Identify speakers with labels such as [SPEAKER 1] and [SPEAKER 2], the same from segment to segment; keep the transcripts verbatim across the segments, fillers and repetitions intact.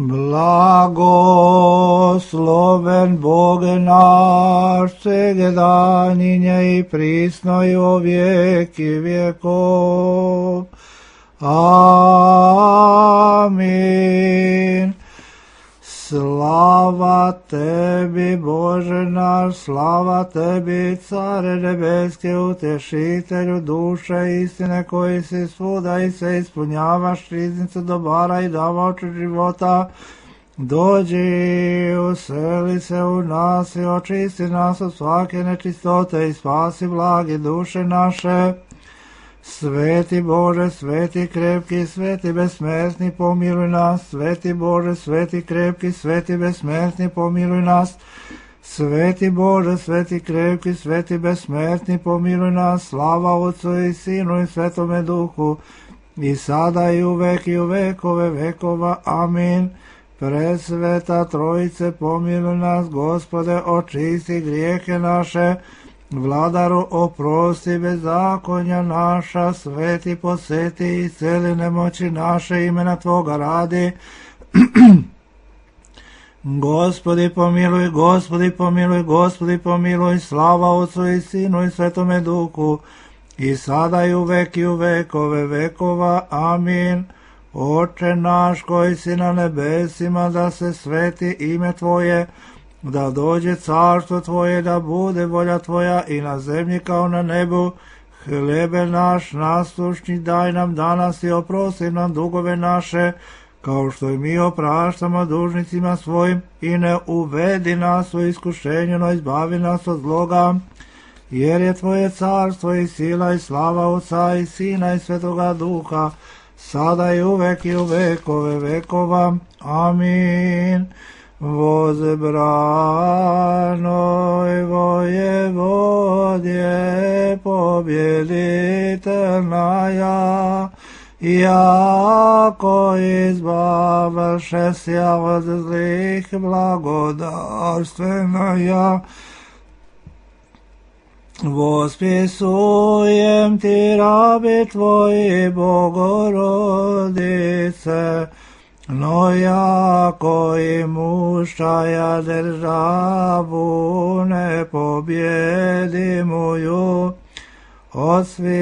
[SPEAKER 1] Blagosloven Bog naš, segedanje i prisno i o vijeki vjekov. Amin. Slava tebi, Bože naš, slava tebi, Care nebeske, utešitelju duše istine, koji si svuda i se ispunjavaš riznicu dobara i davaoču života. Dođi, useli se u nas i očisti nas od svake nečistote i spasi blagi duše naše. Sveti Bože, sveti krepki, sveti besmrtni, pomiluj nas. Sveti Bože, sveti krepki, sveti besmrtni, pomiluj nas. Sveti Bože, sveti krepki, sveti besmrtni, pomiluj nas. Slava Otcu i Sinu i Svetome Duhu, i sada i uvek i u vekove vekova. Amin. Presveta Trojice, pomiluj nas. Gospode, očisti grijehe naše. Vladaru, oprosti bezakonja naša. Sveti, poseti i celi nemoći naše, imena Tvoga radi. Gospodi pomiluj, Gospodi pomiluj, Gospodi pomiluj. Slava Otcu i Sinu i Svetome Duhu, i sada i uvek i u vekove vekova. Amin. Oče naš koji si na nebesima, da se sveti ime Tvoje, da dođe carstvo Tvoje, da bude volja Tvoja i na zemlji kao na nebu. Hlebe naš naslušni daj nam danas i oprosti nam dugove naše, kao što i mi opraštamo dužnicima svojim, i ne uvedi nas u iskušenje, no izbavi nas od zloga. Jer je Tvoje carstvo i sila i slava Otca i Sina i Svetoga Duha, sada i uvek i u vekove vekova. Amin. Возбранoj воеводje победительная, яко избавивши ся от злых, благодарственная. Восписуем Ти, раби Твои, Богородице, но яко имущая державу непобедимую, от всяких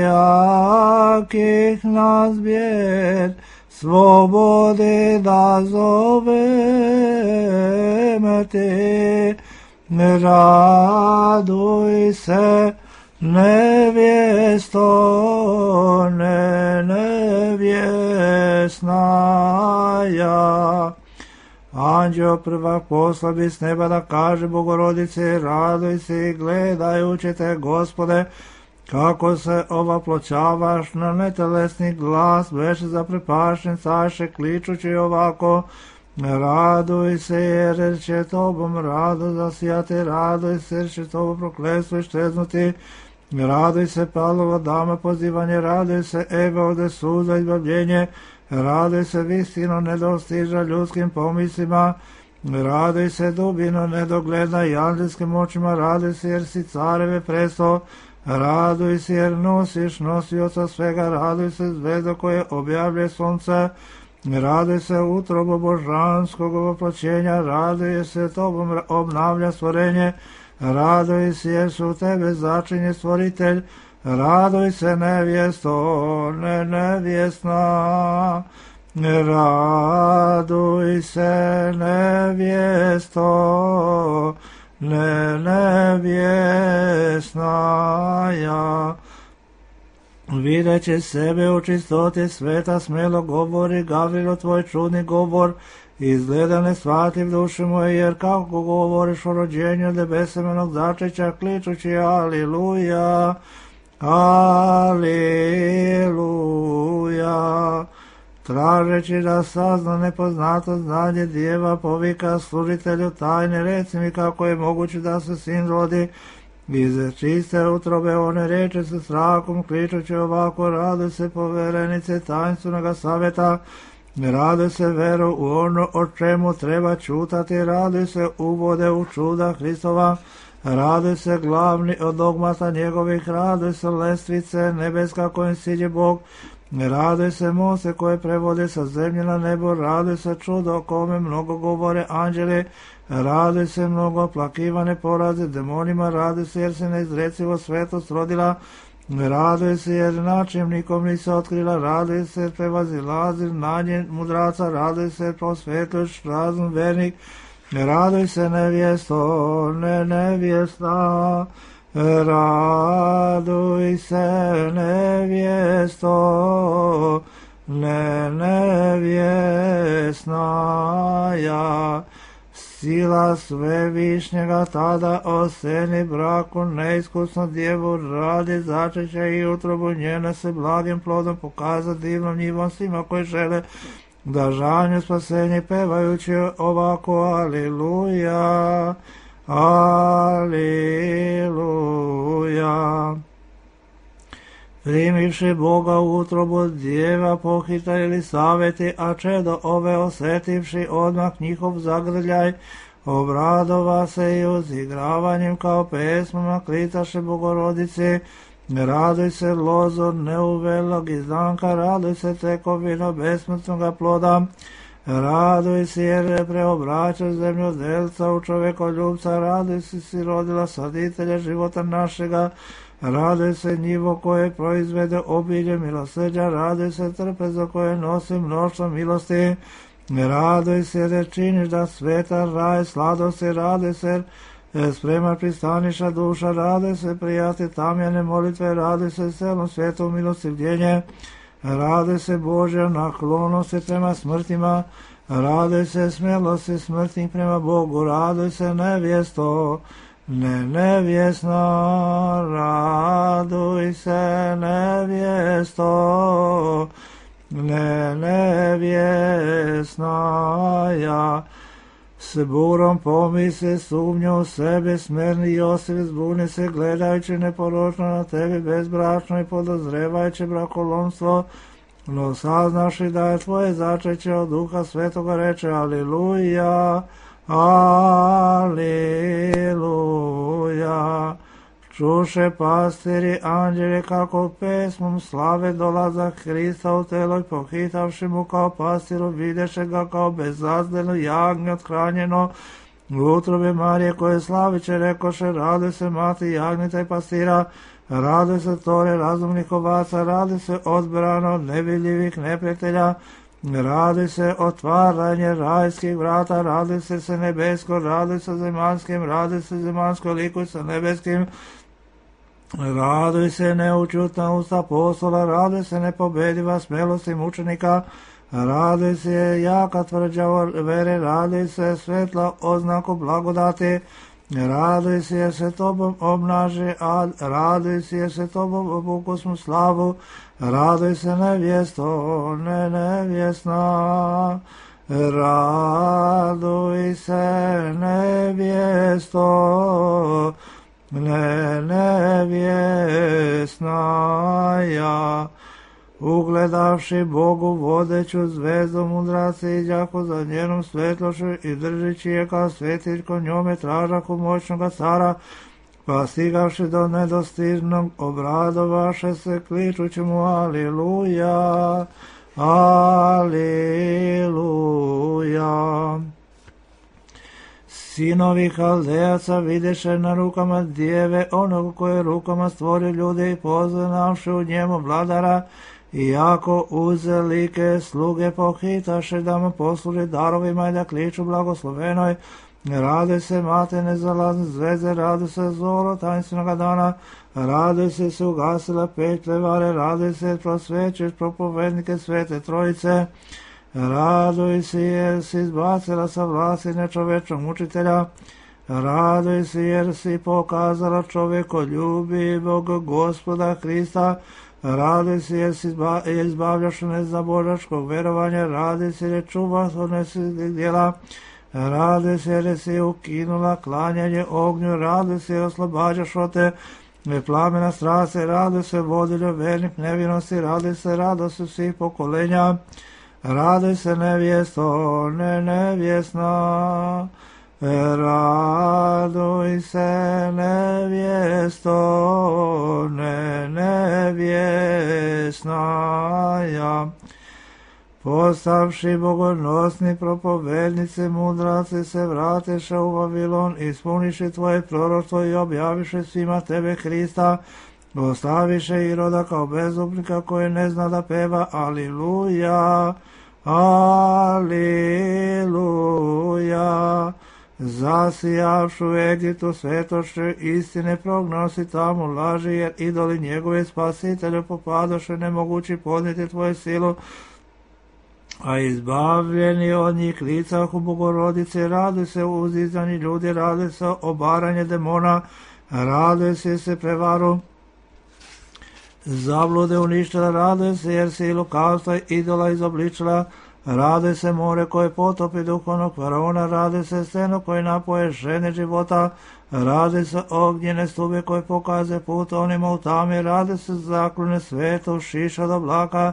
[SPEAKER 1] нас бед свободы да зовем Ти. Радуйся, невесто, не невесная. Anđeo prvak poslabi s neba da kaže Bogorodice, raduj se i gledajući te, Gospode, kako se ovaploćavaš na netelesni glas, beše zaprepašen, caše kličući ovako: raduj se, jer će Tobom rado zasijati, raduj se, jer će Tobom prokletstvo iščeznuti. Raduj se, Pavlova dama pozivanje, raduj se, Eva ode suza izbavljenje, raduj se, visino nedostiža ljudskim pomislima, raduj se, dubino nedogledna i anđelskim očima, raduj se, jer si careve presto, raduj se, jer nosiš nosioca svega, raduj se, zvezdo koje objavlje sunce, raduj se, utrobo božanskog ovoploćenja, raduj se, Tobom obnavlja stvorenje, raduj se, jer su Tebe začinje stvoritelj, raduj se, nevjesto, ne nevjesna, raduj se, nevjesto, ne nevjesna ja. Videći sebe u čistoti sveta, smelo govori Gavrilo tvoj čudni govor, izgleda ne shvatljiv duše moje, jer kako govoriš o rođenju nebesemenog začeća, kličući aliluja, aliluja. Tražeći da sazna nepoznato znanje djeva, povika služitelju tajne, reci mi kako je moguće da se sin rodi iz čiste utrobe, one reče sa strahom, kličući ovako: raduj se, poverenice tajnstvenog savjeta, raduj se, veru u ono o čemu treba čutati, raduj se, uvode u čuda Hristova, raduj se, glavni od dogmata njegovih, raduj se, lestvice nebeska kojim siđe Bog, Radoj se Mose koje prevode sa zemlje na nebo, radoj se čudo o kome mnogo govore anđeli, radoj se mnogo plakivane poraze demonima, radoj se jer se neizrecivo svetost rodila, radoj se jer način nikom nisi otkrila, radoj se jer prevazilazir nanje mudraca, radoj se jer prosvetljuješ razum vernik, radoj se nevjesto, ne nevjesta, raduj se nevjesto, ne nevjesnaja, sila svevišnjega tada oseni braku neiskusno djevu radi začeća i utrobu njene se blagim plodom pokaza divnom njivom svima koji žele da žanju spasenje pevajući ovako aliluja, aliluja. Primivši Boga u utrobu djeva pohita ili saveti, a čedo ove osetivši odmah njihov zagrljaj, obradova se i uzigravanjem kao pesmama klitaše Bogorodice, raduj se lozo neuvelog izdanka, raduj se tekovino besmrtnoga ploda, raduj se jer preobraćaš zemljodelca u čovekoljubca, raduj se si rodila saditelja života našega, raduj se njivo koje proizvede obilje milosrđa, raduj se trpezo koje nosi mnoštvo milosti, raduj se jer činiš da sveta raj sladosti, raduj se jer sprema pristaniša duša, raduj se prijati tamjane molitve, raduj se celom svijetu milostivljenje, raduj se Božja naklonosti prema smrtima, raduj se smjelosti smrtnih prema Bogu, raduj se nevjesto, ne nevjesna, raduj se nevjesto, ne nevjesnaja, s burom pomisli sumnju u sebe, smerni Josif zbuni se gledajući neporočno na tebi bezbračno i podozrevajući brakolomstvo, no saznaši da je tvoje začeće od Duha Svetoga, reče aliluja, aliluja. Čuše pastiri anđeli kako pesmom slave dolazak Hrista u telo i pohitavši mu kao pastiru, videše ga kao bezazdeno jagnje othranjeno u utrobi Marije koje slaviće, rekoše raduj se mati jagnjeta i pastira, raduj se tore razumnih ovaca, raduj se odbrano od nevidljivih neprijatelja, raduj se otvaranje rajskih vrata, raduj se se nebesko, raduj se zemanskim, raduj se zemansko likuj sa nebeskim, raduj se neučutna usta apostola, raduj se nepobediva smelosti mučenika, raduj se jaka tvrđa vere, raduj se svetla oznaku blagodati, raduj se jer se tobom obnaži ad, raduj se jer se tobom obukusnu slavu, raduj se nevjesto, ne nevjesna, raduj se nevjesto, ne nevjesnaja. Ugledavši Bogu vodeću zvezdu mudraci iđaku za njenom svetlošću i držići je kao svetiljko njome tražaku moćnoga cara, pa stigavši do nedostižnog obradovaše se kličući mu aliluja, aliluja. Sinovi Haldejaca videše na rukama djeve onog koje rukama stvori ljude i poznavši u njemu vladara, iako uzelike sluge pohitaše da mu posluži darovima i da kliču blagoslovenoj, rade se mate nezalazne zvezde, rade se zoro tajinstvenoga dana, rade se se ugasila petlje vare, rade se prosvećeš propovednike svete trojice, raduj se jer si izbacila sa vlasti nečovečnog mučitelja, raduj se jer si pokazala čovjekoljubivog Gospoda Hrista, raduj se jer si izbavljaš nezabožačkog verovanja, raduj se jer čuvaš od nesvjetih djela, raduj se jer si ukinula klanjanje ognju, raduj se jer oslobađaš od te plamena strasti, raduj se vodilju vernih nevinosti, raduj se radosti svih pokolenja, raduj se nevjesto, ne nevjesna, raduj se nevjesto, ne nevjesnaja. Postavši bogonosni propovednice, mudraci se vrateše u Vavilon, ispuniše tvoje proroštvo i objaviše svima tebe Hrista, ostaviše Iroda kao bezupnika koji ne zna da peva Aliluja, Aliluja. Zasijavšu u Egiptu svetošću istine prognosi tamo laži, jer idoli njegove spasitelju popadoše nemogući podnijeti tvoju silu, a izbavljeni od njih licahu Bogorodice. Raduj se uzdizani ljudi, raduj se obaranje demona, raduj se se prevaru zablude uništila, raduj se jer si lukavstva idola izobličila, raduj se more koje potopi duhovnog faraona, raduj se steno koje napoje žene života, raduj se ognjene stube koje pokaze put onima u tami, raduj se zaklone svetu šiša od oblaka,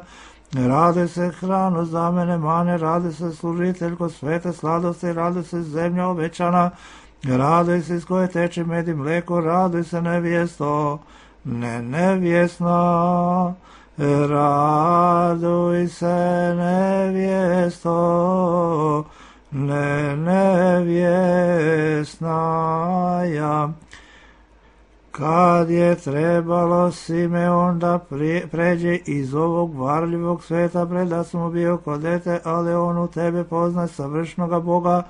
[SPEAKER 1] raduj se hranu za mene mane, raduj se služiteljko svete sladosti, raduj se zemlja obećana, raduj se iz koje teče med i mleko, raduj se nevjesto, ne nevjesna, raduj se nevjesto, ne nevjesnaja. Kad je trebalo Simeon da pređe iz ovog varljivog sveta, preda smo bio kod dete, ali on u tebe pozna savršnoga Boga,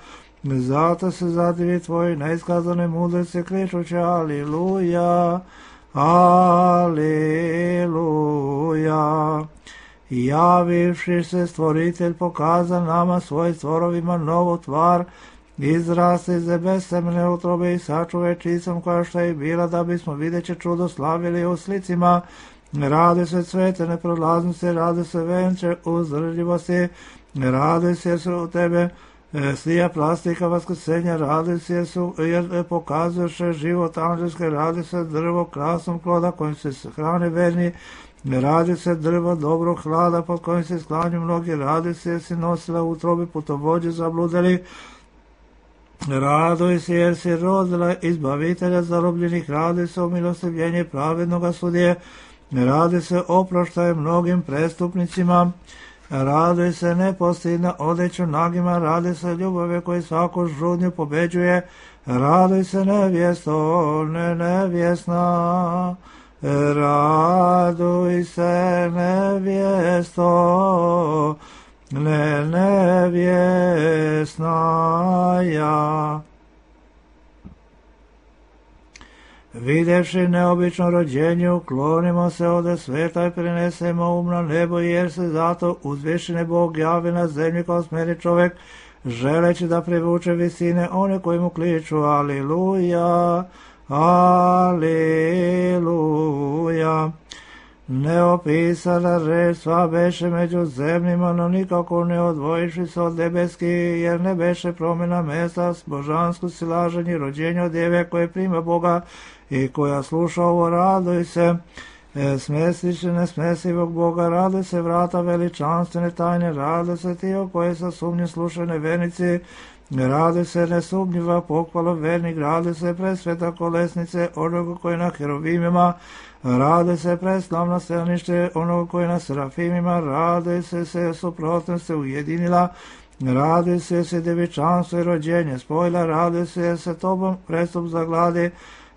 [SPEAKER 1] zato se zadivi tvoji neiskazane mudrice, kričući Aliluja, Aliluja. Javivši se stvoritelj pokaza nama svojim stvorovima novu tvar, izraste iz besemne utrobe i sačuve čistom koja što je bila, da bismo videće čudo slavili u slicima. Rade se cvete neprolaznosti, rade se venče uzdržljivosti, rade se jer su u tebe slija plastika vaskrsenja, rade se jer, su, jer pokazuješ život anđelske, rade se drvo krasnom ploda kojim se hrane verni, radi se drvo dobrog hlada pod kojim se sklanju mnogi, radi se jer si nosila u utrobi putovođe zabludeli, raduj se jer si rodila izbavitelja zarobljenih, radi se o milostivljenje pravednoga sudije, radi se oproštaje mnogim prestupnicima, raduj se nepostidna odeću nagima, radi se ljubave koji svaku žudnju pobeđuje, raduj se nevjesto, ne nevjesna, raduj se nevjesto, ne nevjesnaja. Videvši neobično rođenje, uklonimo se ode sveta i prenesemo um na nebo, jer se zato uzvišeni Bog javi na zemlji kao smeri čovek, želeći da privuče visine one koji mu kliču Aliluja, Aliluja. Neopisana reč sva beše među zemljima, no nikako ne odvojiši se od nebeski, jer ne beše promjena mesta, božansku silaženje rođenja od djeve koje prima Boga i koja sluša ovo, raduj se, smestiće nesmesivog Boga, raduj se vrata veličanstvene tajne, raduj se ti o koje sa sumnje slušane vernici, raduj se nesumnjiva pohvalo vernik, raduj se presveta kolesnice onoga koji na herovimima, raduj se preslavno stelnište onoga koji na serafimima, raduj se se suprotnost se ujedinila, raduj se se devičanstvo i rođenje spojila, raduj se jer se tobom prestup zagladi,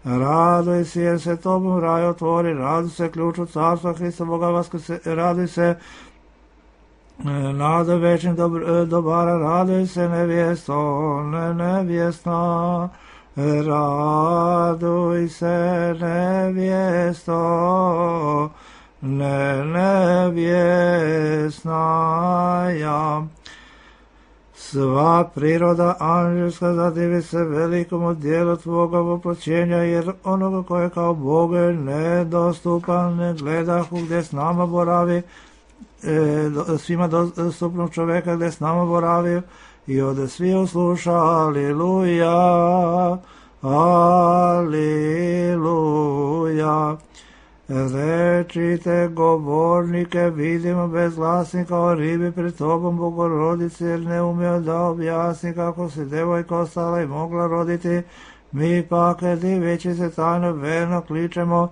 [SPEAKER 1] raduj se jer se tobom raj otvori, raduj se ključu carstva Hristovoga vaskrse, raduj se nada večnih dobara, raduj se nevjesto, ne nevjesna, raduj se nevjesto, ne nevjesnaja. Sva priroda anđelska zadivi se velikom dijelu tvoga voploćenja, jer onoga koje kao Bog je nedostupan, ne gledahu gdje s nama boravi, e, svima dostupnog čoveka gdje s nama boravi, i ode svi usluša Aliluja, Aliluja. Rečite govornike, vidimo bez glasnika o ribi pred tobom, Bogorodice, jer ne umio da objasni kako se devojka ostala i mogla roditi. Mi pak, diveći se tajno verno kličemo,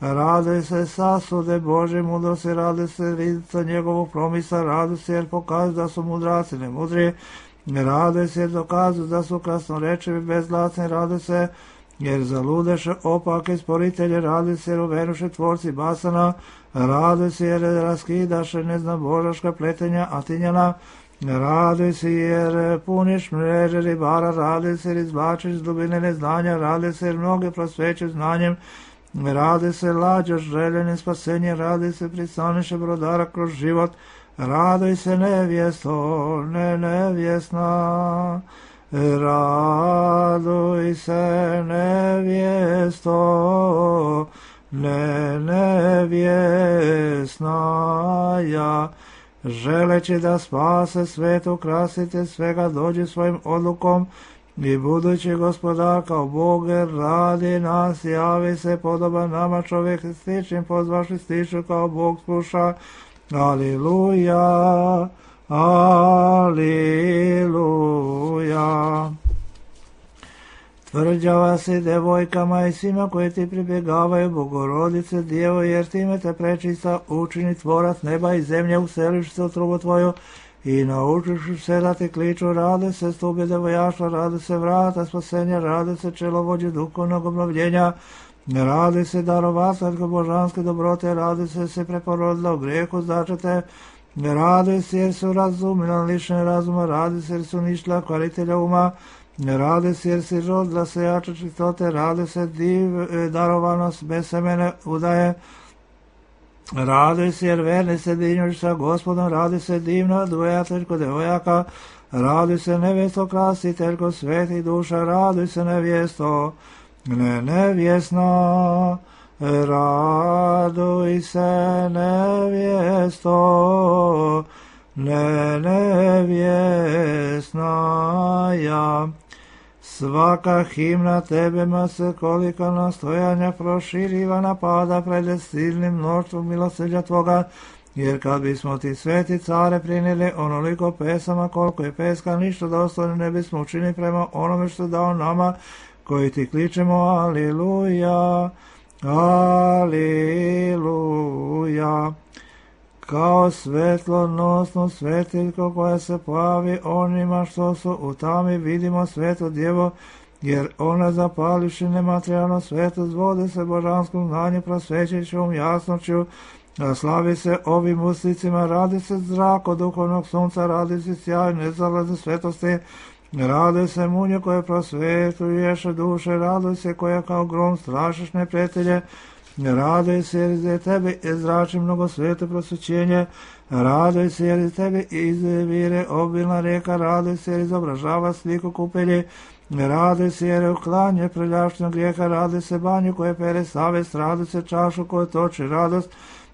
[SPEAKER 1] raduj se sasude Bože mudrosti, raduj se rizica njegovog promisa, raduj se jer pokazuju da su mudraci ne mudri, raduj se jer dokazuju da su krasnorečivi bezglasni, raduj se jer zaludeše opake sporitelje, raduj se jer uvenuše tvorci basana, raduj se jer raskidaše neznabožaška pletenja atinjana, raduj se jer puniš mreže ribara, raduj se jer izbačiš dubine neznanja, raduj se jer mnoge prosvećuju znanjem, raduj se lađoš željenim spasenjem, raduj se pristaniše brodara kroz život, raduj se nevjesto, ne nevjesna, raduj se nevjesto, ne nevjesna ja, želeći da spase svet, ukrasite svega, dođi svojim odlukom i budući gospodar kao Bog radi nas, javi se podoba nama, čovjek stičim pozvaši stiču kao Bog sluša. Aliluja, aliluja. Tvrđava si devojkama i svima koji ti pribjegavaju, Bogorodice Djevo, jer time te prečista učini tvorac neba i zemlje, useliš se u trubu tvoju i naučiš se da ti kliču, rade se stube devojaštva, rade se vrata spasenja, rade se čelovođe duhovnog obnovljenja, radi se darovateljko božanske dobrote, radi se se preporodila u grijehu začete, radi se jer su razumila lišene razuma, radi se jer su nišla kvalitelja uma, radi se jer si rodila se jače čistote, radi se div darovanost bez semene udaje, radi se jer verni se dinjuš sa gospodom, radi se divno dvojateljko devojaka, radi se nevjesto krasiteljko svetih duša, radi se nevjesto ne nevjesna, raduj se nevjesto, ne nevjesna ja. Svaka himna tebema se kolika nastojanja proširiva napada pred silnim mnoštvom milosrđa tvoga, jer kad bismo ti sveti care prinijeli onoliko pesama koliko je peska, ništa dostojno ne bismo učinili prema onome što dao nama, koji ti kličemo aliluja, aliluja. Kao svetlonosno svetiljko koja se pojavi onima što su u tami, vidimo sveto djevo, jer ona zapališi nematerijalno sveto, zvode se božanskom znanju, prosvećećom jasnoću, slavi se ovim uslicima, radi se zrak od duhovnog sunca, radi se sjaj nezalaze svetosti, raduj se munje koje prosvetuješ duše, raduj se koja kao grom strašiš neprijatelje, raduj se jer iz tebe izrači mnogo sveto prosvećenje, raduj se jer iz tebe izvire obilna rijeka, raduj se jer izobražava sliku kupelji, raduj se jer je uklanje preljašnjog grijeha, raduj se banju koje pere savest, raduj se čašu koju toči radost,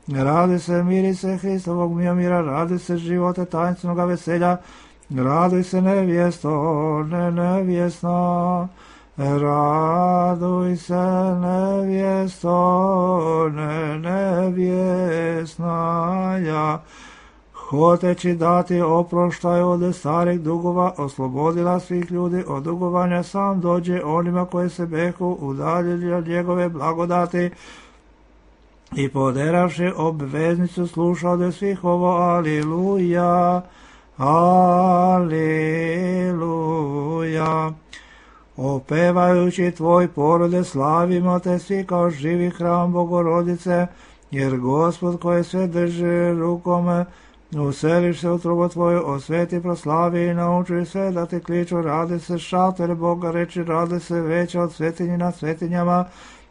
[SPEAKER 1] raduj se miri se Hristovog mira, raduj se živote tajnstvenog veselja, raduj se nevjesto, ne nevjesna, raduj se nevjesto, ne nevjesna ja. Hoteći dati oproštaj od starih dugova, oslobodila svih ljudi od dugovanja, sam dođe onima koji se behu udaljili od njegove blagodati i poderavši obveznicu sluša od svih ovo aliluja, aliluja. Opevajući tvoj porode slavimo te svi kao živi hram Bogorodice, jer Gospod koji sve drži rukom, useliš se u trubu tvoju, osveti proslavi i nauči sve da ti kliču, radi se šator Boga reči, radi se veća od svetinji nad svetinjama,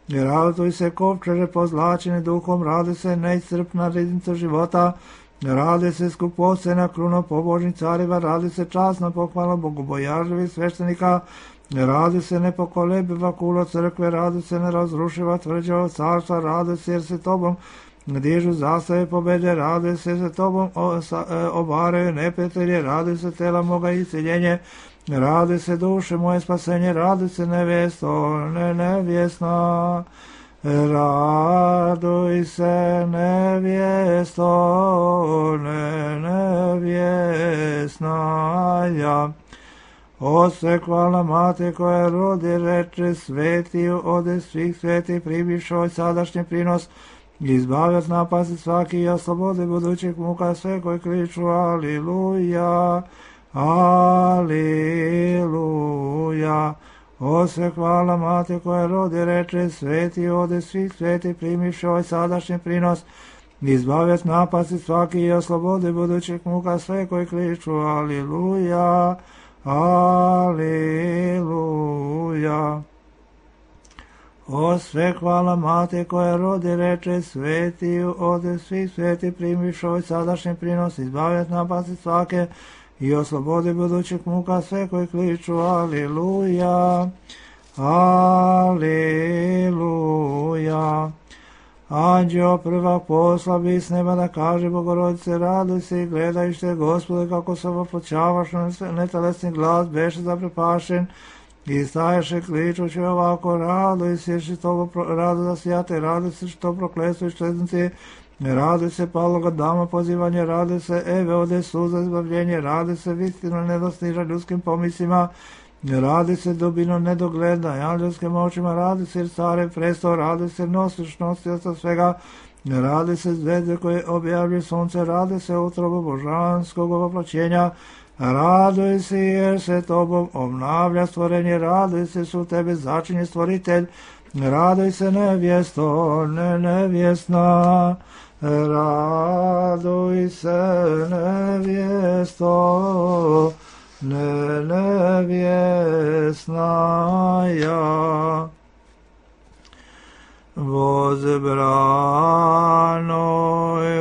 [SPEAKER 1] i raduj se kovčeže pozlačeni duhom, radi se neiscrpna riznica života, radi se skupocena kruno pobožnih cariva, radi se časna pohvala bogobojažljivih sveštenika, radi se nepokolebiva kulo crkve, radi se nerazrušiva tvrđava carstva, radi se jer se tobom dižu zastave pobede, radi se se tobom obaraju neprijatelje, radi se tela moga isceljenje, radi se duše moje spasenje, radi se nevjesto, ne nevjesna, Raduj se, nevjesto, ne nevjesnaja. Ose hvala mate koja rodi reče svetiju ode svih sveti pribišoj sadašnji prinos, izbavljac napasti svaki i oslobodi budućih muka sve koji kriču aliluja, aliluja. Ose hvala mate koja rodi reče sveti ode svih sveti primiše ovaj sadašnji prinos, izbavljac napasti svaki i oslobodi budućih muka sve koji kriču aliluja, aliluja. O sve hvala mate koja rodi reče sveti ode svih sveti primiše ovaj sadašnji prinos, izbavljac napasti svake i oslobodi budućih muka sve koji kliču aliluja, aliluja. Anđeo prvak poslabi s neba da kaže Bogorodice, raduj se i gledajušte Gospode kako se oploćavaš, netelesni glas beše zaprepašen i staješe kličući ovako, raduj se što radu da sjate, raduj se što proklesuju čeznici, raduj se paloga dama pozivanje, raduj se eve ode suza izbavljenje, raduj se vistino nedostiža ljudskim pomislima, raduj se dubino nedogleda anđelskim očima, raduj se care presto, raduj se nosiš nosioca svega, raduj se zvezde koje objavljuje sunce, raduj se utrobu božanskog ovoplaćenja, raduj se jer se tobom obnavlja stvorenje, raduj se su tebe začinje stvoritelj, raduj se nevjesto, ne nevjesna, raduj se nevjesto, ne nevjesnaja. Возбранoj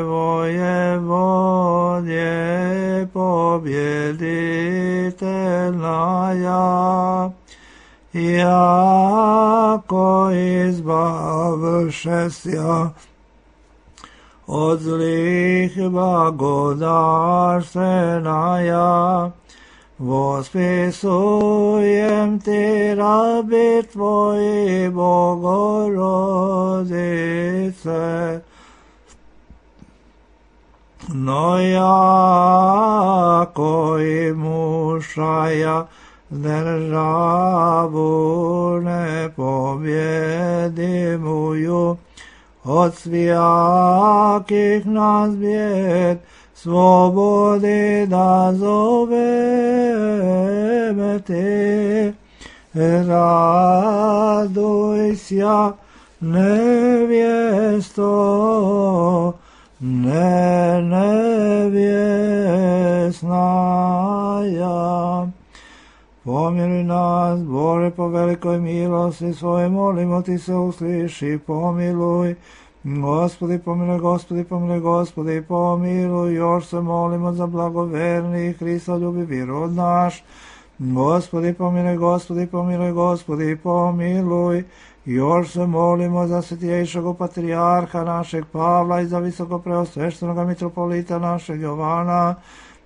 [SPEAKER 1] воеводje побjeditelnaja, jako izbavšesja od zlih blagodarstvenaja, vospisujem ti rabi tvoji Bogorodice, no jako i mušaja državu nepobjedimuju, od svijakih nas bijed slobodi da zoveme te. Raduj sja nevjesto, ne nevjesnaja. Pomiluj nas, Bože, po velikoj milosti svoje, molimo ti se usliši, pomiluj. Gospodi, pomiluj, Gospodi, pomiluj, Gospodi, pomiluj, još se molimo za blagoverni Hristoljubivi rod naš. Gospodi, pomiluj, Gospodi, pomiluj, Gospodi, pomiluj, još se molimo za svetijejšeg patrijarha našeg Pavla i za visokopreosveštenog mitropolita našeg Jovana.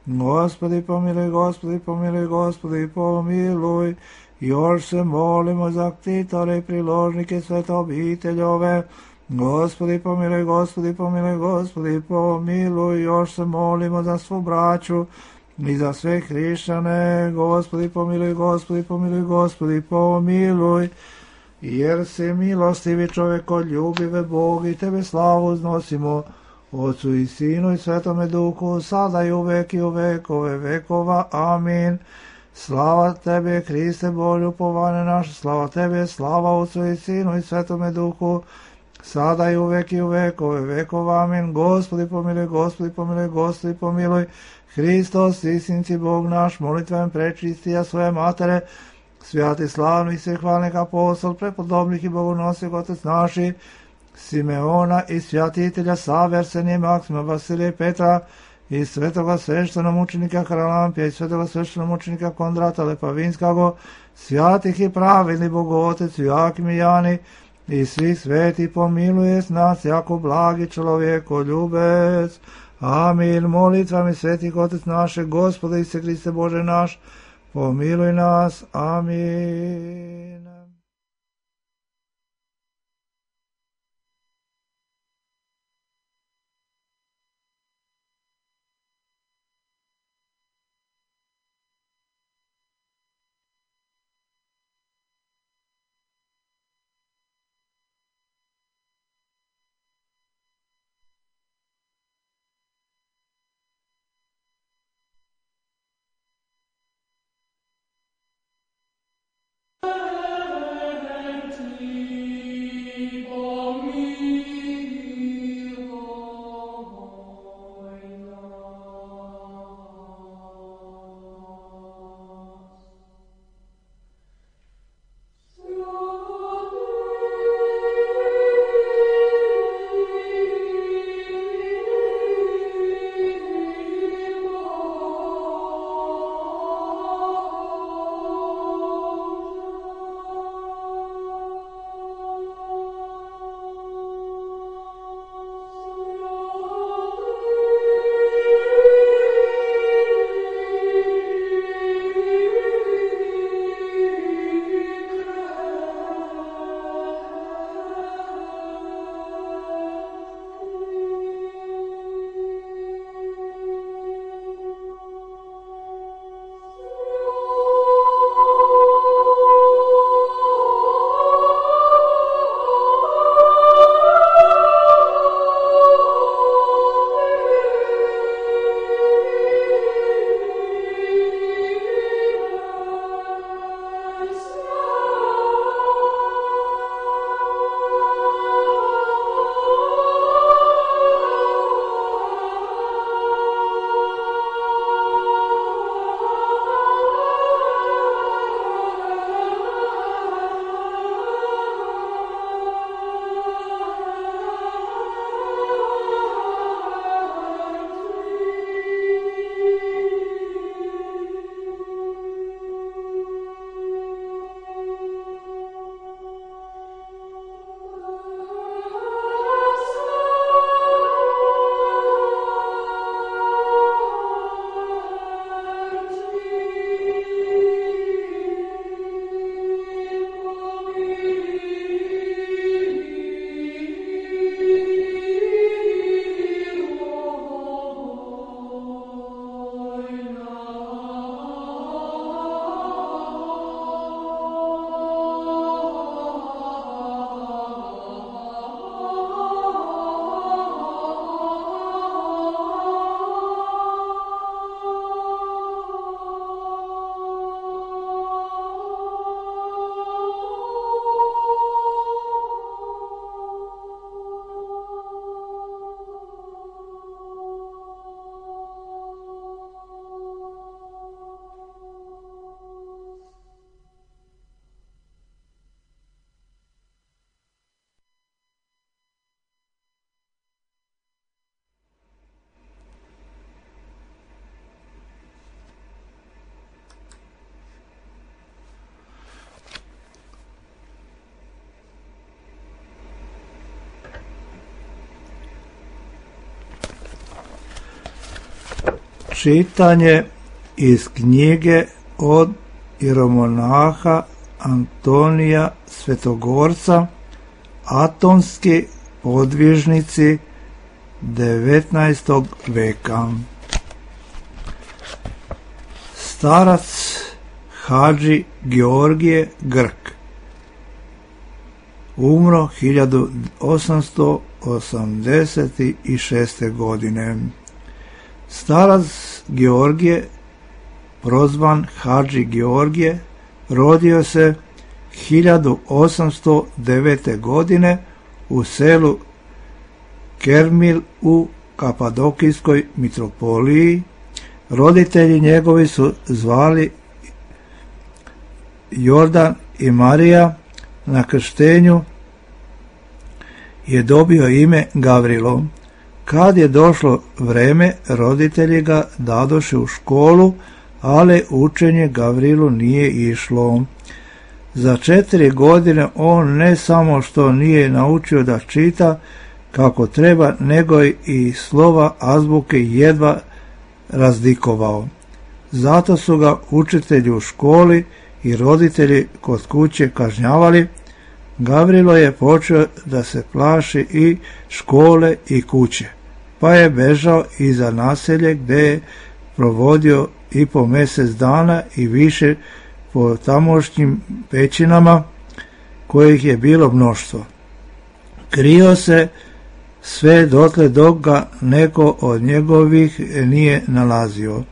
[SPEAKER 1] Gospodi, pomiluj, Gospodi, pomiluj, Gospodi, pomiluj, još se molimo za ktitore i priložnike svete obiteljove. Gospodi, pomiluj, Gospodi, pomiluj, Gospodi, pomiluj, još se molimo za svu braću i za sve hrišćane. Gospodi, pomiluj, Gospodi, pomiluj, Gospodi, pomiluj, jer si milostivi čovekoljubive Bog i tebe slavu uznosimo, Otcu i Sinu i Svetome Duhu, sada i uvek i u vekove vekova. Amin. Slava Tebe, Hriste Bože, upovane naše, slava Tebe, slava Otcu i Sinu i Svetome Duhu, sada i uvek i u vekove vekova. Amin. Gospodi pomiluj, Gospodi pomiluj, Gospodi pomiluj, Hristos, istinci Bog naš, molitvam prečistija svoje matere, svjati slavnih svih hvalnih apostol, prepodobnih i bogonosih otec naši, Simeona i svjatitelja Save, Arsenije, Maksima, Vasilija i Petra, i svetoga sveštenomučenika Haralampija i svetoga sveštenomučenika Kondrata Lepavinskog, svjatih i pravedni Bogotec Joakim i Jani, i svih sveti pomiluje s nas jako blagi čovjeko ljubec. Amin. Molitvami svetih Otec naše, Gospode Isuse Hriste Bože naš, pomiluj nas. Amin. Čitanje iz knjige od jeromonaha Antonija Svetogorca, Atonski podvižnici devetnaestog veka. Starac Hadži Georgije Grk umro hiljadu osamsto osamdeset šeste. godine. Starac Georgije, prozvan Hadži Georgije, rodio se hiljadu osamsto devete. godine u selu Kermil u Kapadokijskoj mitropoliji. Roditelji njegovi su zvali Jordan i Marija. Na krštenju je dobio ime Gavrilo. Kad je došlo vreme, roditelji ga dadoše u školu, ali učenje Gavrilu nije išlo. Za četiri godine on ne samo što nije naučio da čita kako treba, nego i slova azbuke jedva razdikovao. Zato su ga učitelji u školi i roditelji kod kuće kažnjavali. Gavrilo je počeo da se plaši i škole i kuće, pa je bežao iza naselje gde je provodio i po mjesec dana i više po tamošnjim pećinama, kojih je bilo mnoštvo. Krio se sve dotle dok ga neko od njegovih nije nalazio.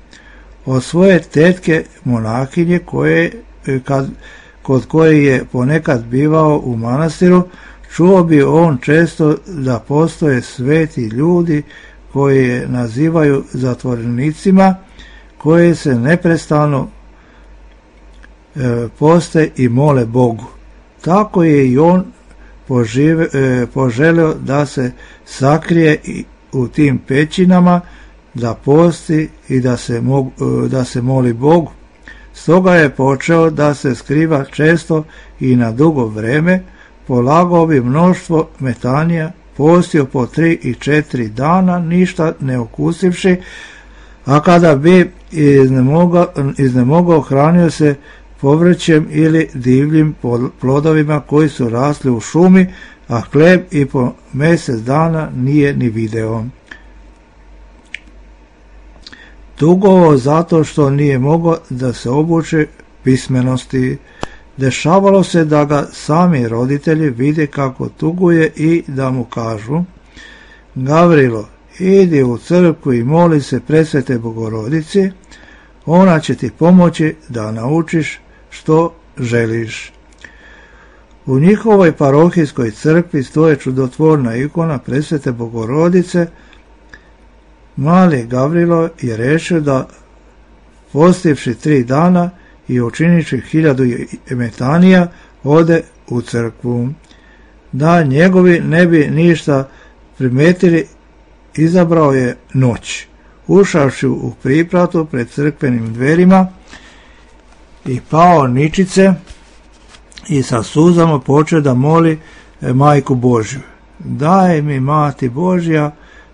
[SPEAKER 1] Od svoje tetke monahinje koje, kad, kod koje je ponekad bivao u manastiru, čuo bi on često da postoje sveti ljudi koji je nazivaju zatvorenicima, koji se neprestano e, poste i mole Bogu. Tako je i on požive, e, poželio da se sakrije u tim pećinama, da posti i da se, mog, e, da se moli Bogu. Stoga je počeo da se skriva često i na dugo vreme, polagao bi mnoštvo metanija, postio po tri i četiri dana, ništa ne okusivši, a kada bi iznemogao, iznemogao hranio se povrćem ili divljim plodovima koji su rasli u šumi, a hleb i po mjesec dana nije ni video. Tugovao zato što nije mogao da se obuče pismenosti. Dešavalo se da ga sami roditelji vide kako tuguje i da mu kažu: Gavrilo, idi u crkvu i moli se presvete Bogorodici, ona će ti pomoći da naučiš što želiš. U njihovoj parohijskoj crkvi stoje čudotvorna ikona presvete Bogorodice. Mali Gavrilo je rešio da, postivši tri dana i učiniši hiljadu metanija, ode u crkvu. Da njegovi ne bi ništa primetili, izabrao je noć. Ušavši u pripratu pred crkvenim dverima i pao ničice i sa suzama počeo da moli Majku Božju: daj mi, Mati Božja,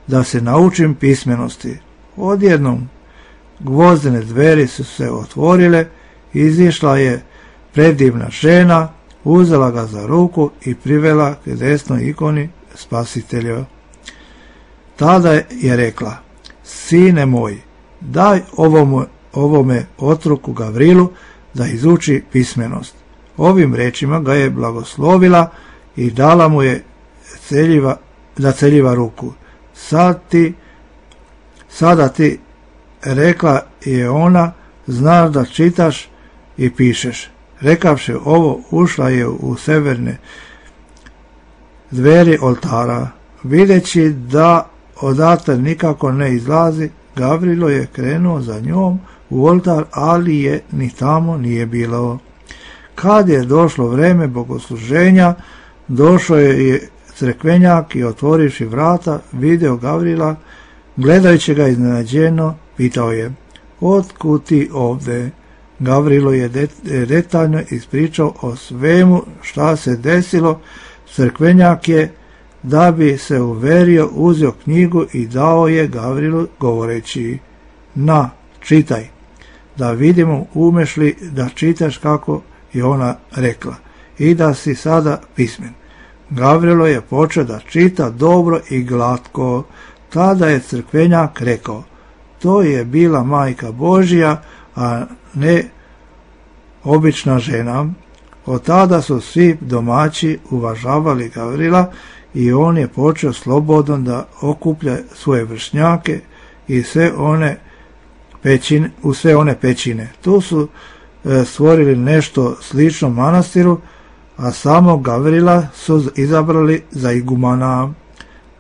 [SPEAKER 1] da se naučim pismenosti. Odjednom gvozdene dveri su se otvorile, izišla je predivna žena, uzela ga za ruku i privela k desnoj ikoni Spasitelja. Tada je rekla: sine moj, daj ovome, ovome otroku Gavrilu da izuči pismenost. Ovim rečima ga je blagoslovila i dala mu je celjiva, da celjiva ruku. Sad ti, sada ti, rekla je ona, znaš da čitaš i pišeš. Rekavši ovo, ušla je u severne dveri oltara. Videći da odatle nikako ne izlazi, Gavrilo je krenuo za njom u oltar, ali je ni tamo nije bilo. Kad je došlo vreme bogosluženja, došao je crkvenjak i otvorivši vrata, video Gavrila, gledajući ga iznenađeno, pitao je: otkud ti ovde? Gavrilo je detaljno ispričao o svemu šta se desilo. Crkvenjak je, da bi se uverio, uzeo knjigu i dao je Gavrilu, govoreći: na, čitaj, da vidimo umeš li da čitaš kako je ona rekla i da si sada pismen. Gavrilo je počeo da čita dobro i glatko. Tada je crkvenjak rekao, to je bila majka Božja, a ne obična žena. Od tada su svi domaći uvažavali Gavrila i on je počeo slobodno da okuplja svoje vršnjake i sve one pećine, u sve one pećine. Tu su e, stvorili nešto slično manastiru, a samo Gavrila su izabrali za igumana.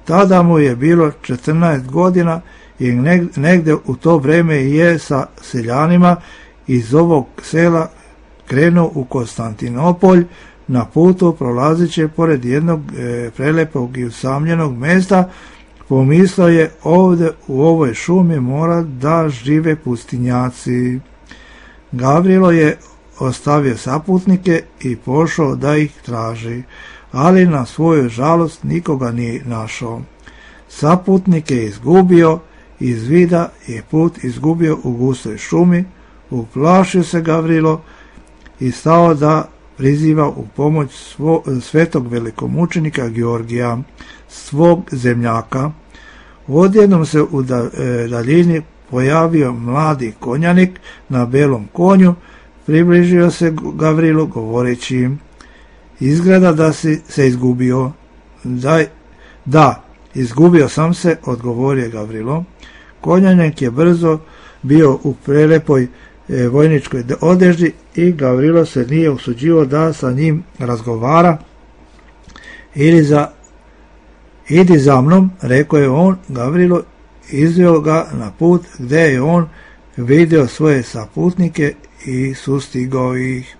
[SPEAKER 1] Tada mu je bilo četrnaest godina i negde u to vreme je sa seljanima iz ovog sela krenuo u Konstantinopolj. Na putu prolaziće pored jednog e, prelepog i usamljenog mesta, pomislio je ovde u ovoj šumi mora da žive pustinjaci. Gavrilo je ostavio saputnike i pošao da ih traži, ali na svoju žalost nikoga nije našao. Saputnike je izgubio, iz vida je put izgubio u gustoj šumi. Uplašio se Gavrilo i stao da priziva u pomoć svo, svetog velikomučenika Georgija, svog zemljaka. Odjednom se u daljini pojavio mladi konjanik na belom konju, približio se Gavrilu govoreći, izgleda da si se izgubio. Daj, da, izgubio sam se, odgovorio Gavrilo. Konjanik je brzo bio u prelepoj e, vojničkoj odeži i Gavrilo se nije usuđivao da sa njim razgovara. Ili za, idi za mnom, rekao je on. Gavrilo izveo ga na put gde je on vidio svoje saputnike i sustigao ih.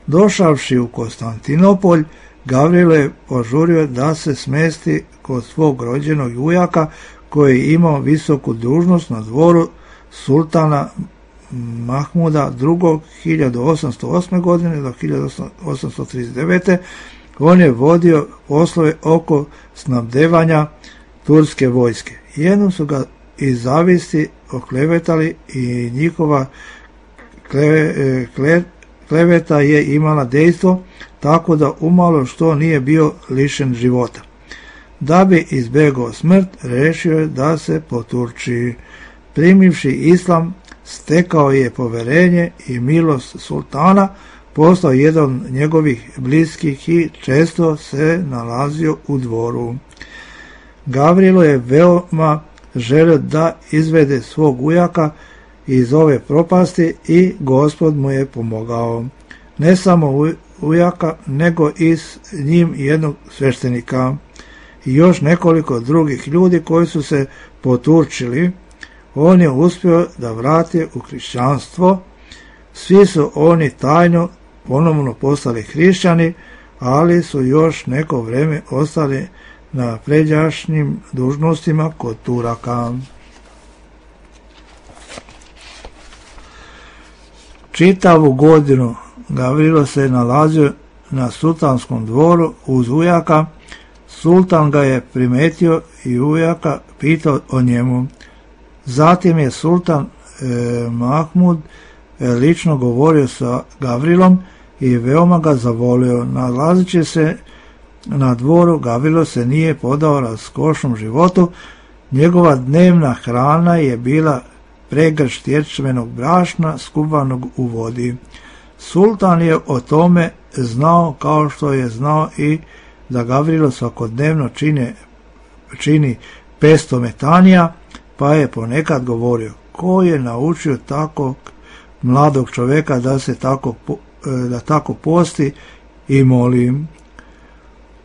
[SPEAKER 1] Došavši u Konstantinopolj, Gavrilo je požurio da se smesti kod svog rođenog ujaka koji je imao visoku dužnost na dvoru sultana Mahmuda drugog. hiljadu osamsto osme. godine do hiljadu osamsto trideset devete. On je vodio poslove oko snabdevanja turske vojske. Jednom su ga iz zavisti oklevetali i njihova kleve, kle, kleveta je imala dejstvo, tako da umalo što nije bio lišen života. Da bi izbegao smrt, rešio je da se poturči. Primivši islam, stekao je poverenje i milost sultana, postao jedan od njegovih bliskih i često se nalazio u dvoru. Gavrilo je veoma želio da izvede svog ujaka iz ove propasti i Gospod mu je pomogao. Ne samo ujaka, nego i s njim jednog sveštenika i još nekoliko drugih ljudi koji su se poturčili. On je uspio da vrati u hrišćanstvo. Svi su oni tajno ponovno postali hrišćani, ali su još neko vreme ostali na pređašnjim dužnostima kod Turaka. Čitavu godinu Gavrilo se nalazio na sultanskom dvoru uz ujaka. Sultan ga je primetio i ujaka pitao o njemu. Zatim je sultan e, Mahmud e, lično govorio sa Gavrilom i veoma ga zavolio. Nalazići se na dvoru, Gavrilo se nije podao raskošnom životu. Njegova dnevna hrana je bila pregršt ječmenog brašna skuvanog u vodi. Sultan je o tome znao, kao što je znao i da Gavrilo svakodnevno čine, čini pesto metanija, pa je ponekad govorio, ko je naučio takvog mladog čoveka da se tako, da tako posti i molim.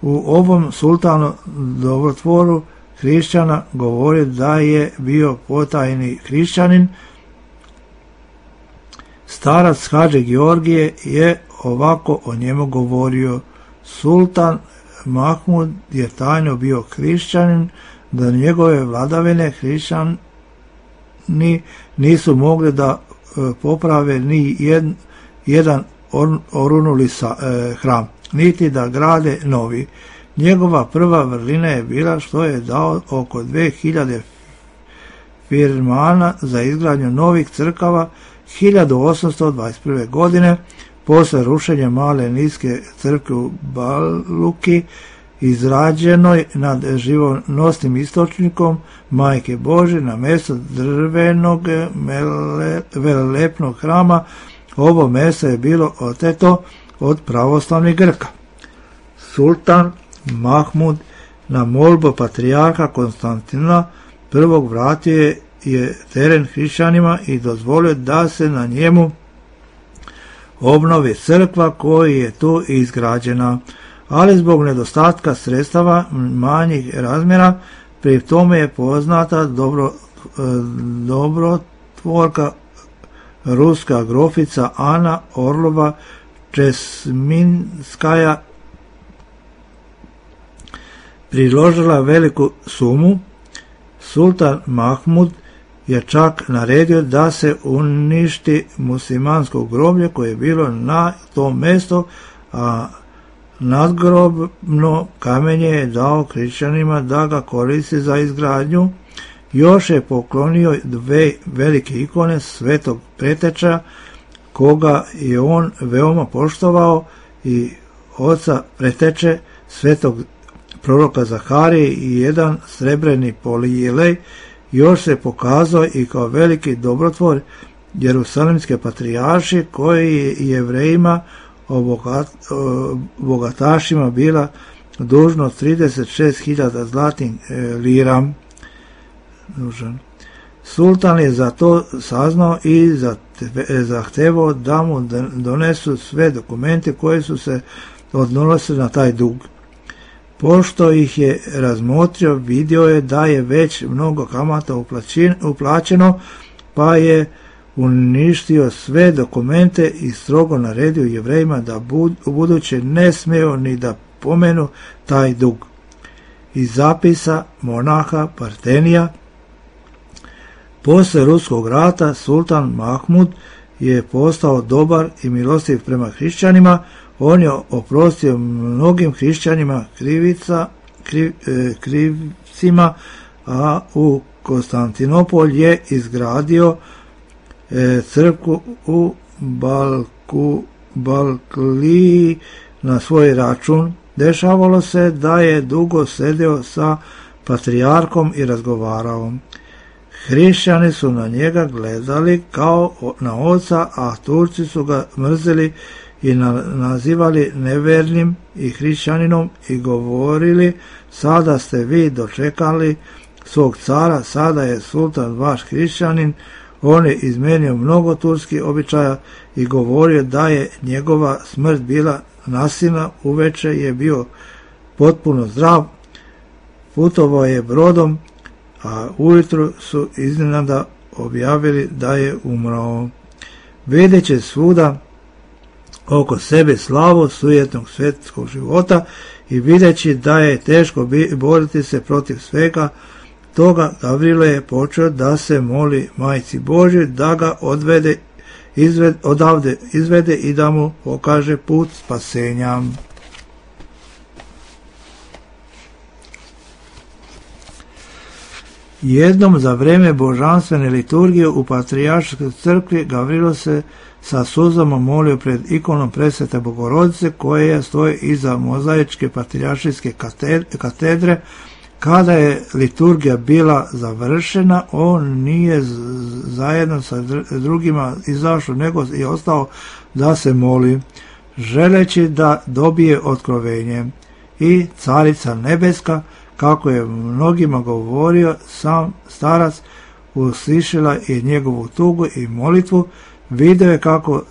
[SPEAKER 1] U ovom sultanu dobrotvoru hrišćana govori da je bio potajni hrišćanin. Starac Hadže Georgije je ovako o njemu govorio. Sultan Mahmud je tajno bio hrišćanin, da njegove vladavine hrišćani nisu mogli da poprave ni jedan, jedan orunuli sa, e, hram, niti da grade novi. Njegova prva vrlina je bila što je dao oko dve hiljade firmana za izgradnju novih crkava hiljadu osamsto dvadeset prve. godine posle rušenja male niske crkve u Baluki, izrađenoj nad živonosnim istočnikom Majke Božje na mjesto drvenog velelepnog hrama. Ovo mjesto je bilo oteto od pravoslavnih Grka. Sultan Mahmud na molbu patrijarha Konstantina prvog vratio je teren hrišćanima i dozvolio da se na njemu obnovi crkva koja je tu izgrađena, ali zbog nedostatka sredstava manjih razmjera, pri tome je poznata dobro, dobrotvorka ruska grofica Ana Orlova Česminskaja priložila veliku sumu. Sultan Mahmud je čak naredio da se uništi muslimansko groblje koje je bilo na tom mjestu, a nadgrobno kamenje je dao hrišćanima da ga koristi za izgradnju. Još je poklonio dve velike ikone svetog preteča, koga je on veoma poštovao, i oca preteče svetog proroka Zaharije i jedan srebreni polijilej. Još se pokazao i kao veliki dobrotvor jerusalimske patrijarši, koji je Jevrejima bogatašima bila dužno trideset šest hiljada zlatnih lira. Sultan je za to saznao i zahtevao da mu donesu sve dokumente koji su se odnosili na taj dug. Pošto ih je razmotrio, vidio je da je već mnogo kamata uplaćeno, pa je uništio sve dokumente i strogo naredio Jevrejima da u buduće ne smiju ni da pomenu taj dug. Iz zapisa monaha Partenija: posle ruskog rata Sultan Mahmud je postao dobar i milostiv prema hrišćanima. On je oprostio mnogim hrišćanima krivica, kriv, e, krivcima, a u Konstantinopolj je izgradio e, crkvu u Balku, Balkliji na svoj račun. Dešavalo se da je dugo sedio sa patrijarkom i razgovarao. Hrišćani su na njega gledali kao na oca, a Turci su ga mrzeli i nazivali nevernim i hrišćaninom i govorili: sada ste vi dočekali svog cara, sada je sultan vaš hrišćanin. On je izmenio mnogo turskih običaja i govorio da je njegova smrt bila nasilna. Uveče je bio potpuno zdrav, putovao je brodom, a ujutru su iznenada objavili da je umrao. Videći svuda oko sebe slavu sujetnog svjetskog života i videći da je teško boriti se protiv svega toga, Gavrilo je počeo da se moli Majci Božjoj da ga odvede, izved, odavde izvede i da mu pokaže put spasenja. Jednom za vreme božanstvene liturgije u Patrijarškoj crkvi Gavrilo se sa suzama molio pred ikonom Presvete Bogorodice, koja stoji iza mozaičke patrijaršijske katedre. Kada je liturgija bila završena, on nije zajedno sa drugima izašao, nego je ostao da se moli, želeći da dobije otkrovenje. I Carica Nebeska, kako je mnogima govorio sam starac, uslišila je njegovu tugu i molitvu. Video je kako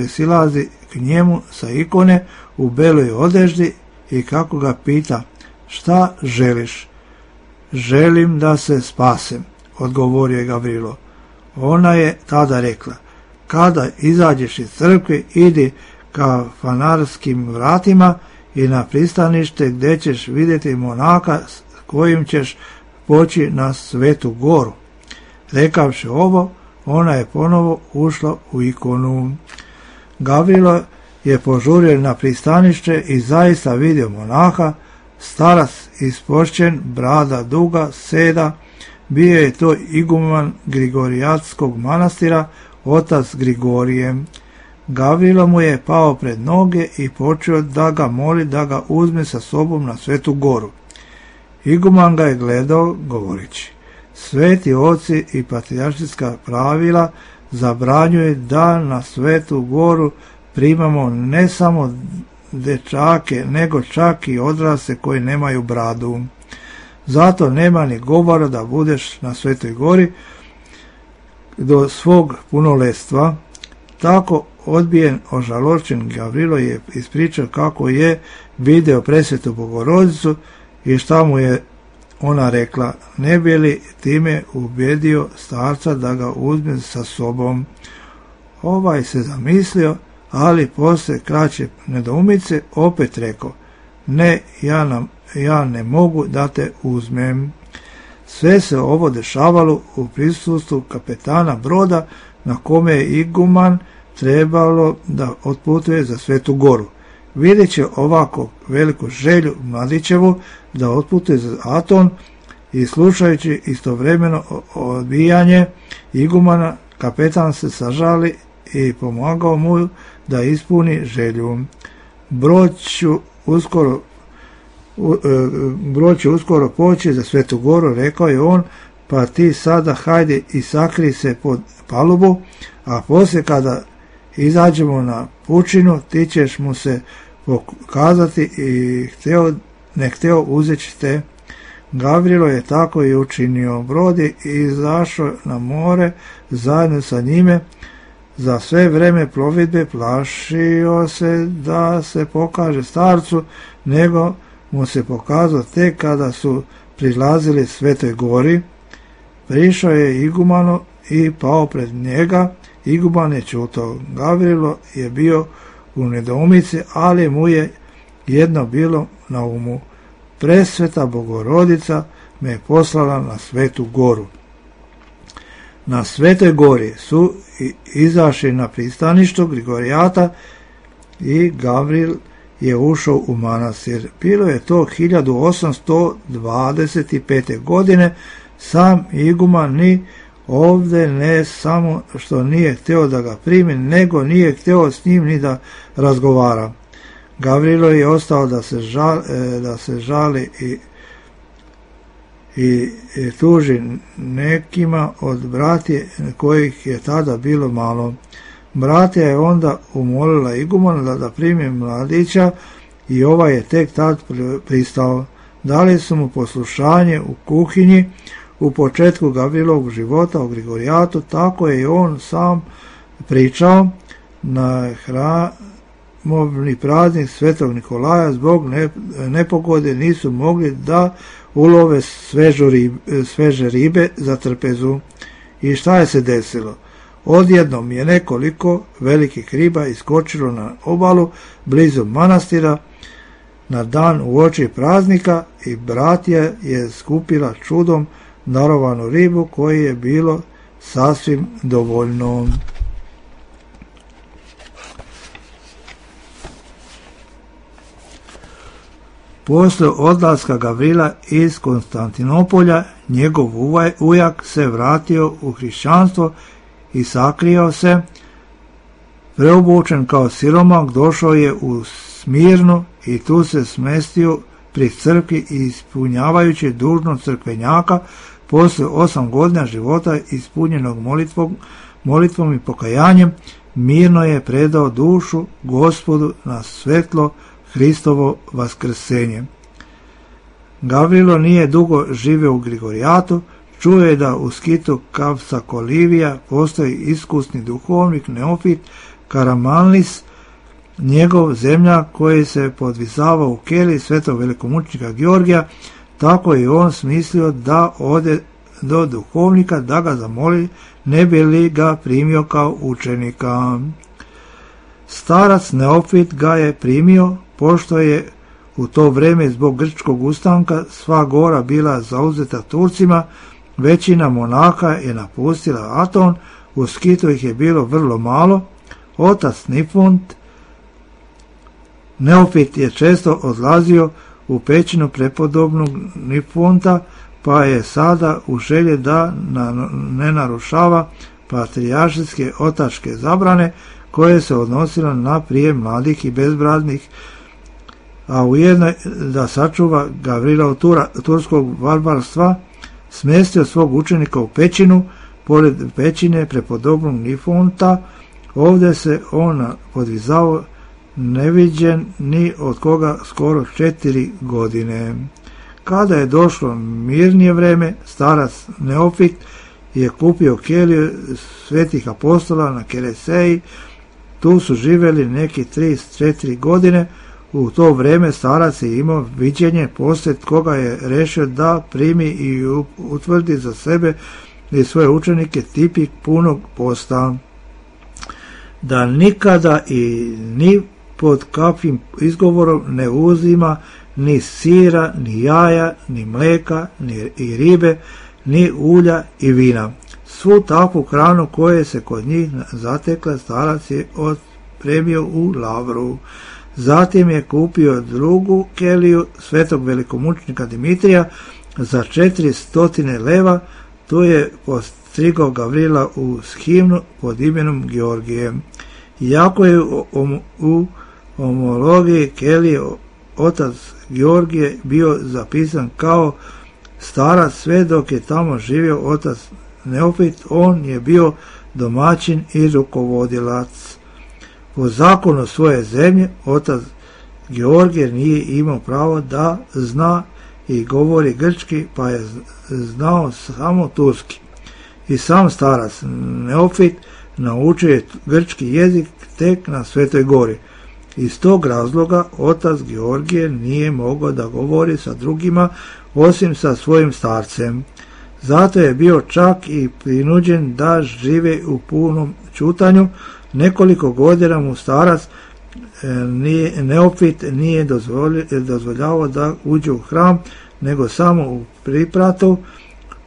[SPEAKER 1] silazi k njemu sa ikone u beloj odeždi i kako ga pita: šta želiš? Želim da se spasem, odgovorio je Gavrilo. Ona je tada rekla: kada izađeš iz crkve, idi ka fanarskim vratima i na pristanište gdje ćeš vidjeti monaka s kojim ćeš poći na Svetu Goru. Rekavši ovo, ona je ponovo ušla u ikonu. Gavrilo je požurio na pristanište i zaista vidio monaha, starac ispošćen, brada duga, seda, Bio je to iguman Grigorijatskog manastira, otac Grigorije. Gavrilo mu je pao pred noge i počeo da ga moli da ga uzme sa sobom na Svetu Goru. Iguman ga je gledao govoreći: sveti oci i patrijaršijska pravila zabranjuje da na Svetu Goru primamo ne samo dečake, nego čak i odrasle koji nemaju bradu. Zato nema ni govora da budeš na Svetoj Gori do svog punoletstva. Tako odbijen, ožalošćen, Gavrilo je ispričao kako je video presvetu Bogorodicu i šta mu je ona rekla, ne bi li time ubedio starca da ga uzme sa sobom. Ovaj se zamislio, ali posle kraće nedoumice opet rekao: ne, ja, nam, ja ne mogu da te uzmem. Sve se ovo dešavalo u prisustvu kapetana broda na kome je iguman trebalo da otputuje za Svetu Goru. Videći ovako veliku želju mladićevu da otputuje za Aton i slušajući istovremeno odbijanje igumana, kapetan se sažali i pomagao mu da ispuni želju. Brod ću uskoro, brod će uskoro poći za Svetu Goru, rekao je on, pa ti sada hajde i sakri se pod palubu, a poslije kada izađemo na pučinu, ti ćeš mu se pokazati i hteo, ne hteo uzeći te. Gavrilo je tako i učinio. Brod je izašao na more zajedno sa njime. Za sve vreme plovidbe plašio se da se pokaže starcu, nego mu se pokazao tek kada su prilazili Svetoj Gori. Prišao je igumanu i pao pred njega. Iguman je čutao. Gavrilo je bio u nedoumici, ali mu je jedno bilo na umu: presveta Bogorodica me je poslala na Svetu Goru. Na Svetoj Gori su izašli na pristaništu Grigorijata i Gavril je ušao u manastir. Bilo je to hiljadu osamsto dvadeset pete. godine. Sam iguman ni ovdje ne samo što nije htio da ga primi, nego nije htio s njim ni da razgovara. Gavrilo je ostao da se žali, da se žali i, i, i tuži nekima od bratije kojih je tada bilo malo. Bratija je onda umolila igumana da, da primi mladića i ovaj je tek tad pristao. Dali su mu poslušanje u kuhinji. U početku Gavrilovog života u Grigorijatu, tako je i on sam pričao, na hramovni praznik Svetog Nikolaja zbog nepogode nisu mogli da ulove ribe, sveže ribe za trpezu. I šta je se desilo? Odjednom je nekoliko velikih riba iskočilo na obalu blizu manastira na dan uoči praznika i bratija je skupila čudom darovanu ribu koji je bilo sasvim dovoljno. Posle odlaska Gavrila iz Konstantinopolja, njegov ujak se vratio u hrišćanstvo i sakrio se. Preobučen kao siromak, došao je u Smirnu i tu se smestio pri crkvi i ispunjavajući dužnost crkvenjaka. Posle osam godina života ispunjenog molitvom, molitvom i pokajanjem, mirno je predao dušu Gospodu na svetlo Hristovo vaskrsenje. Gavrilo nije dugo živeo u Grigorijatu, čuo je da u skitu Kavsakolivija postoji iskusni duhovnik Neofit Karamanlis, njegov zemljak koji se podvisavao u keli svetog velikomučnika Georgija. Tako je on smislio da ode do duhovnika da ga zamoli, ne bi li ga primio kao učenika. Starac Neofit ga je primio, pošto je u to vreme zbog grčkog ustanka sva gora bila zauzeta Turcima. Većina monaha je napustila Aton, u skitu ih je bilo vrlo malo. Otac Nifunt Neofit je često odlazio u pećinu prepodobnog Nifunta, pa je sada u želji da ne narušava patrijaršijske otačke zabrane koje se odnosile na prijem mladih i bezbraznih, a ujedno da sačuva Gavrila turskog barbarstva, smjestio svog učenika u pećinu, pored pećine prepodobnog Nifonta. Ovdje se on podvizao neviđen ni od koga skoro četiri godine. Kada je došlo mirnije vreme, starac Neofit je kupio keliju svetih apostola na Kereseji. Tu su živjeli neki trideset četiri godine. U to vrijeme starac je imao viđenje, poslije koga je rešio da primi i utvrdi za sebe i svoje učenike tipik punog posta, da nikada i ni pod kakvim izgovorom ne uzima ni sira, ni jaja, ni mleka, ni i ribe, ni ulja i vina. Svu takvu hranu koje se kod njih zatekla starac je otpremio u Lavru. Zatim je kupio drugu keliju svetog velikomučnika Dimitrija za četiri stotine leva. Tu je postrigao Gavrila u himnu pod imenom Georgije. Iako je u, u homologiji kelije otac Georgije bio zapisan kao starac sve dok je tamo živio otac Neofit, on je bio domaćin i rukovodilac. Po zakonu svoje zemlje, otac Georgije nije imao pravo da zna i govori grčki, pa je znao samo turski. I sam starac Neofit naučio je grčki jezik tek na Svetoj gori. Iz tog razloga otac Georgije nije mogao da govori sa drugima osim sa svojim starcem. Zato je bio čak i prinuđen da žive u punom ćutanju. Nekoliko godina mu starac nije, Neofit nije dozvoljavao da uđe u hram, nego samo u pripratu,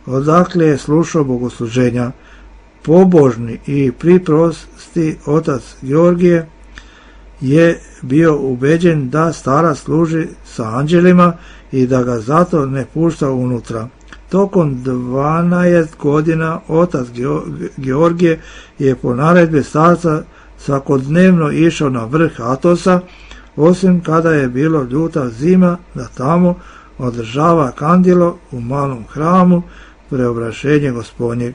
[SPEAKER 1] odakle je slušao bogosluženja. Pobožni i priprosti otac Georgije je bio ubeđen da starac služi sa anđelima i da ga zato ne pušta unutra. Tokom dvanaest godina otac Georgije je po naredbi starca svakodnevno išao na vrh Atosa, osim kada je bilo ljuta zima, da tamo održava kandilo u malom hramu Preobraženje Gospodnjeg.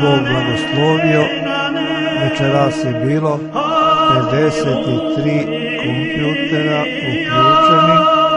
[SPEAKER 1] Bog blagoslovio, večeras je bilo pedeset tri kompjutera uključeni.